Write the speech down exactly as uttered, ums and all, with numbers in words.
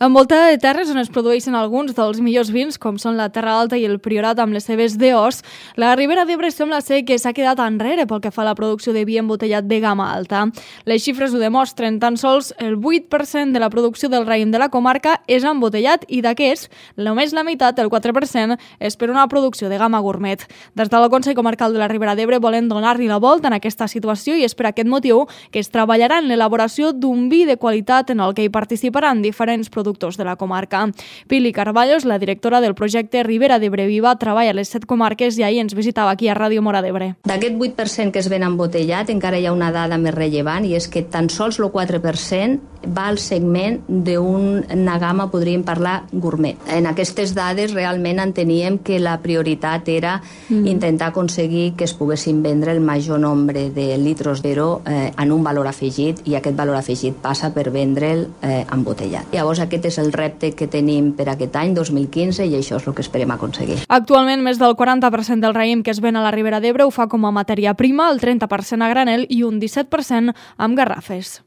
Envoltada de terres on es produeixen alguns dels millors vins, com són la Terra Alta i el Priorat amb les seves D Os, la Ribera d'Ebre sembla ser que s'ha quedat enrere pel que fa a la producció de vi embotellat de gamma alta. Les xifres ho demostren, tan sols el vuit per cent de la producció del raïm de la comarca és embotellat i d'aquests, només la meitat, el quatre per cent, és per una producció de gamma gourmet. Des del Consell Comarcal de la Ribera d'Ebre volen donar-li la volta en aquesta situació i és per aquest motiu que es treballarà en l'elaboració d'un vi de qualitat en el que hi participaran diferents productors de la comarca. Pili Carballos, la directora del projecte Ribera d'Ebre Viva, treballa a les set comarques i ahir ens visitava aquí a Ràdio Móra d'Ebre. D'aquest vuit per cent que es ven embotellat, encara hi ha una dada més rellevant i és que tan sols el quatre per cent va al segment d'una gamma, podríem parlar, gourmet. En aquestes dades realment enteníem que la prioritat era mm. intentar aconseguir que es poguessin vendre el major nombre de litros d'ero eh, en un valor afegit i aquest valor afegit passa per vendre'l eh, embotellat. Llavors aquest és el repte que tenim per aquest any dos mil quinze i això és el que esperem aconseguir. Actualment, més del quaranta per cent del raïm que es ven a la Ribera d'Ebre ho fa com a matèria prima, el trenta per cent a granel i un disset per cent amb garrafes.